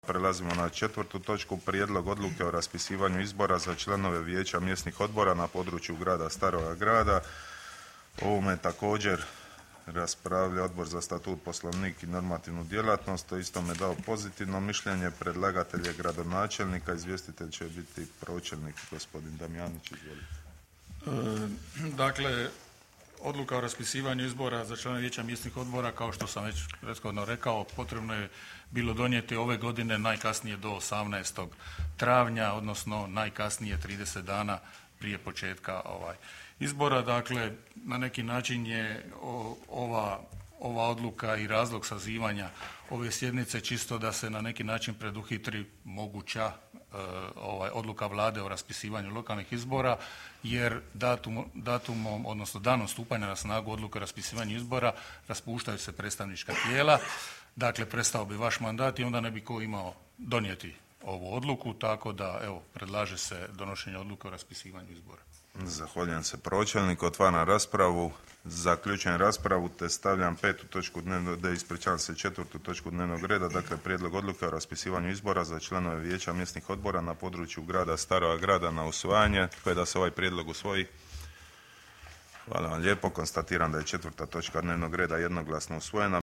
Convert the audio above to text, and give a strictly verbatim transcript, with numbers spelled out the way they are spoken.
Prelazimo na četvrtu točku, prijedlog odluke o raspisivanju izbora za članove vijeća mjesnih odbora na području grada Staroga Grada. O ovome također raspravlja Odbor za statut, poslovnik i normativnu djelatnost. To isto me dao pozitivno mišljenje. Predlagatelj je gradonačelnika, izvjestitelj će biti pročelnik gospodin Damjanić. Izvolite. E, dakle, odluka o raspisivanju izbora za članove vijeća mjesnih odbora, kao što sam već prethodno rekao, potrebno je bilo donijeti ove godine najkasnije do osamnaestog travnja, odnosno najkasnije trideset dana prije početka ovaj izbora. Dakle, na neki način je ova, ova odluka i razlog sazivanja ove sjednice čisto da se na neki način preduhitri moguća ovaj, odluka vlade o raspisivanju lokalnih izbora, jer datum, datumom, odnosno danom stupanja na snagu odluke o raspisivanju izbora raspuštaju se predstavnička tijela. Dakle, prestao bi vaš mandat i onda ne bi ko imao donijeti ovu odluku, tako da evo predlaže se donošenje odluke o raspisivanju izbora. Zahvaljujem se pročelniku. Otvaram raspravu. Zaključujem raspravu te stavljam petu točku dnevnog reda, ispričavam se četvrtu točku dnevnog reda, dakle prijedlog odluke o raspisivanju izbora za članove vijeća mjesnih odbora na području grada Staroga Grada na usvajanje. Tko je da se ovaj prijedlog usvoji? Hvala vam lijepo. Konstatiram da je četvrta točka dnevnog reda jednoglasno usvojena.